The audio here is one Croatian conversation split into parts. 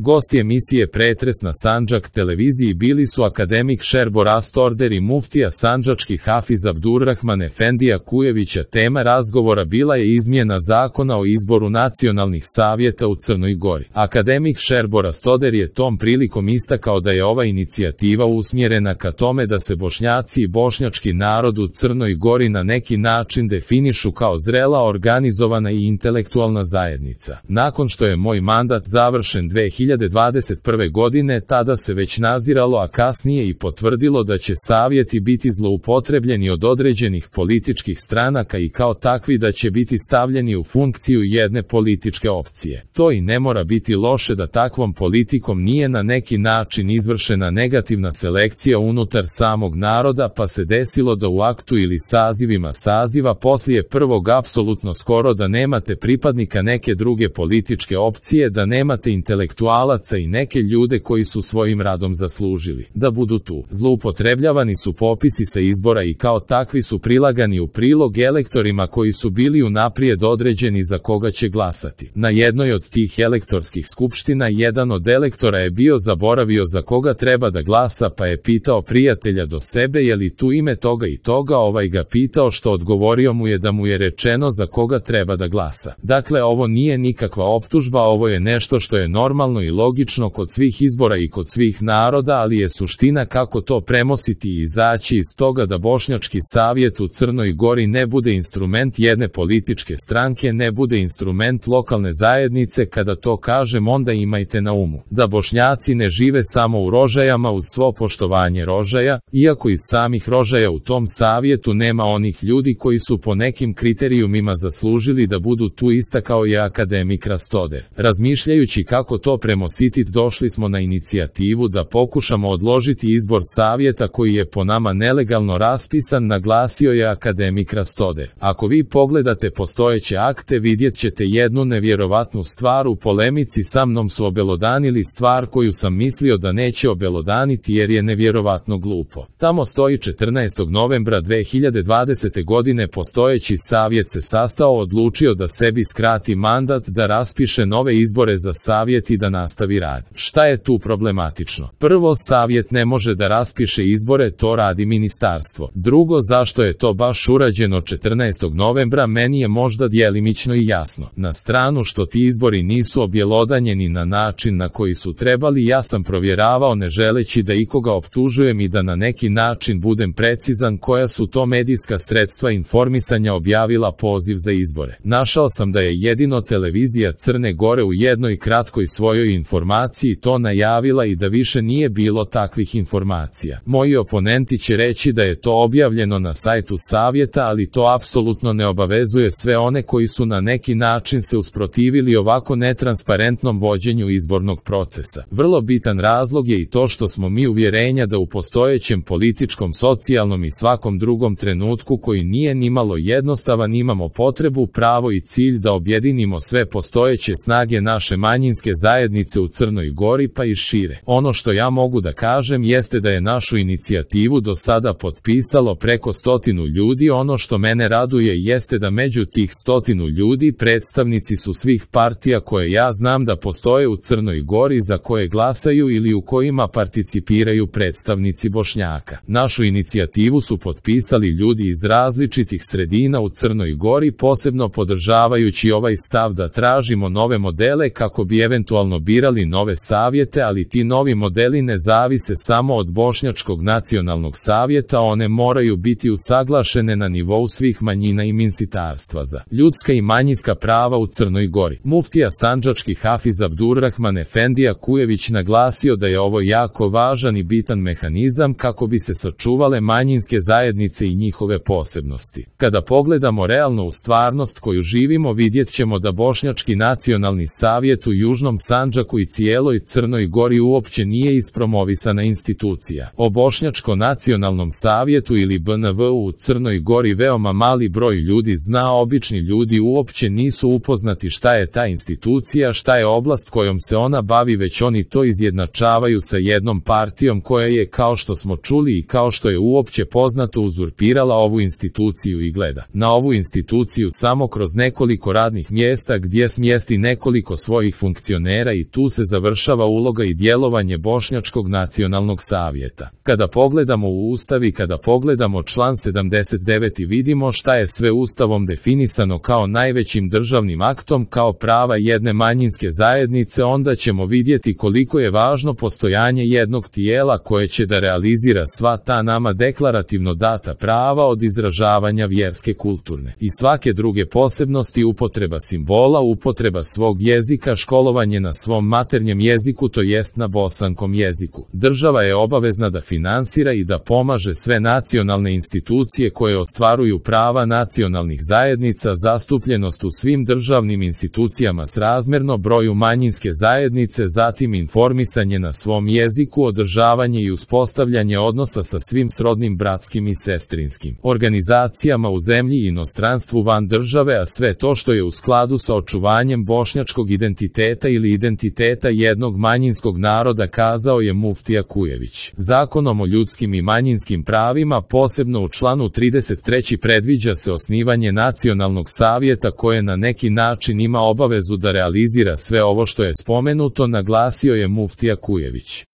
Gosti emisije Pretres na Sandžak televiziji bili su akademik Šerbo Rastorder i muftija sandžački Hafiz Abdurrahman Efendija Kujevića. Tema razgovora bila je izmjena zakona o izboru nacionalnih savjeta u Crnoj Gori. Akademik Šerbo Rastorder je tom prilikom istakao da je ova inicijativa usmjerena ka tome da se Bošnjaci i bošnjački narod u Crnoj Gori na neki način definišu kao zrela, organizovana i intelektualna zajednica. Nakon što je moj mandat završen 2021. godine, tada se već naziralo, a kasnije i potvrdilo da će savjeti biti zloupotrebljeni od određenih političkih stranaka i kao takvi da će biti stavljeni u funkciju jedne političke opcije. To i ne mora biti loše da takvom politikom nije na neki način izvršena negativna selekcija unutar samog naroda, pa se desilo da u aktu ili sazivima saziva poslije prvog apsolutno skoro da nemate pripadnika neke druge političke opcije, da nemate intelektualaca i neke ljude koji su svojim radom zaslužili da budu tu. Zloupotrebljavani su popisi sa izbora i kao takvi su prilagani u prilog elektorima koji su bili unaprijed određeni za koga će glasati. Na jednoj od tih elektorskih skupština jedan od elektora je bio zaboravio za koga treba da glasa, pa je pitao prijatelja do sebe je li tu ime toga i toga, ovaj ga pitao, što odgovorio mu je da mu je rečeno za koga treba da glasa. Dakle, ovo nije nikakva optužba, ovo je nešto što je normalno i logično kod svih izbora i kod svih naroda, ali je suština kako to premostiti i izaći iz toga da Bošnjački savjet u Crnoj Gori ne bude instrument jedne političke stranke, ne bude instrument lokalne zajednice. Kada to kažem, onda imajte na umu da Bošnjaci ne žive samo u Rožajama, uz svo poštovanje Rožaja, iako iz samih Rožaja u tom savjetu nema onih ljudi koji su po nekim kriterijumima zaslužili da budu tu, istakao je akademik Rastorder. Razmišljajući kako to premostiti, došli smo na inicijativu da pokušamo odložiti izbor savjeta koji je po nama nelegalno raspisan, naglasio je akademik Rastorder. Ako vi pogledate postojeće akte, vidjet ćete jednu nevjerovatnu stvar. U polemici sa mnom su obelodanili stvar koju sam mislio da neće obelodaniti jer je nevjerovatno glupo. Tamo stoji 14. novembra 2020. godine postojeći savjet se sastao, odlučio da sebi skrati mandat, da raspiše nove izbore za savjet i da nastavi rad. Šta je tu problematično? Prvo, savjet ne može da raspiše izbore, to radi ministarstvo. Drugo, zašto je to baš urađeno 14. novembra, meni je možda djelimično i jasno. Na stranu što ti izbori nisu objelodanjeni na način na koji su trebali, ja sam provjeravao ne želeći da ikoga optužujem i da na neki način budem precizan koja su to medijska sredstva informisanja objavila poziv za izbore. Našao sam da je jedino televizija Crne Gore u jednoj kratkoj svojoj informaciji to najavila i da više nije bilo takvih informacija. Moji oponenti će reći da je to objavljeno na sajtu savjeta, ali to apsolutno ne obavezuje sve one koji su na neki način se usprotivili ovako netransparentnom vođenju izbornog procesa. Vrlo bitan razlog je i to što smo mi uvjerenja da u postojećem političkom, socijalnom i svakom drugom trenutku koji nije nimalo jednostavan imamo potrebu, pravo i cilj da objedinimo sve postojeće snage naše manjinske zajednice u Crnoj Gori pa i šire. Ono što ja mogu da kažem jeste da je našu inicijativu do sada potpisalo preko 100 ljudi. Ono što mene raduje jeste da među tih 100 ljudi predstavnici su svih partija koje ja znam da postoje u Crnoj Gori, za koje glasaju ili u kojima participiraju predstavnici Bošnjaka. Našu inicijativu su potpisali ljudi iz različitih sredina u Crnoj Gori, posebno podržavajući ovaj stav da tražimo nove modele kako bi eventualno birali nove savjete, ali ti novi modeli ne zavise samo od Bošnjačkog nacionalnog savjeta, one moraju biti usaglašene na nivou svih manjina i Ministarstva za ljudska i manjinska prava u Crnoj Gori. Muftija sandžački Hafiz Abdurrahman Efendija Kujević naglasio da je ovo jako važan i bitan mehanizam kako bi se sačuvale manjinske zajednice i njihove posebnosti. Kada pogledamo realno u stvarnost koju živimo, vidjet ćemo da Bošnjački nacionalni savjet u Južnom Sandžaku i cijeloj Crnoj Gori uopće nije ispromovisana institucija. O Bošnjačko nacionalnom savjetu ili BNV u Crnoj Gori veoma mali broj ljudi zna, obični ljudi uopće nisu upoznati šta je ta institucija, šta je oblast kojom se ona bavi, već oni to izjednačavaju sa jednom partijom koja je, kao što smo čuli i kao što je uopće poznato, uzurpirala ovu instituciju i gleda na ovu instituciju samo kroz nekoliko radnih mjesta gdje smjesti nekoliko svojih funkcionera i tu se završava uloga i djelovanje Bošnjačkog nacionalnog savjeta. Kada pogledamo u Ustav i kada pogledamo član 79 vidimo šta je sve Ustavom definisano kao najvećim državnim aktom, kao prava jedne manjinske zajednice, onda ćemo vidjeti koliko je važno postojanje jednog tijela koje će da realizira sva ta nama deklarativno data prava, od izražavanja vjerske, kulturne i svake druge posebnosti, upotreba simbola, upotreba svog jezika, školovanje na svom maternjem jeziku, to jest na bosanskom jeziku. Država je obavezna da finansira i da pomaže sve nacionalne institucije koje ostvaruju prava nacionalnih zajednica, zastupljenost u svim državnim institucijama srazmjerno broju manjinske zajednice, zatim informisanje na svom jeziku, održavanje i uspostavljanje odnosa sa svim srodnim bratskim i sestrinskim organizacijama u zemlji i inostranstvu van države, a sve to što je u skladu sa očuvanjem bošnjačkog identiteta ili identiteta jednog manjinskog naroda, kazao je muftija Kujević. Zakonom o ljudskim i manjinskim pravima, posebno u članu 33, predviđa se osnivanje nacionalnog savjeta koje na neki način ima obavezu da realizira sve ovo što je spomenuto, naglasio je muftija Kujević.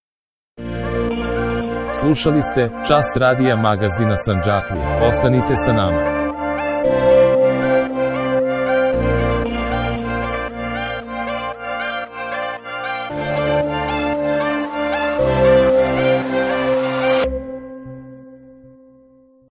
Slušali ste Čas radija magazina Sandžaklija. Ostanite sa nama.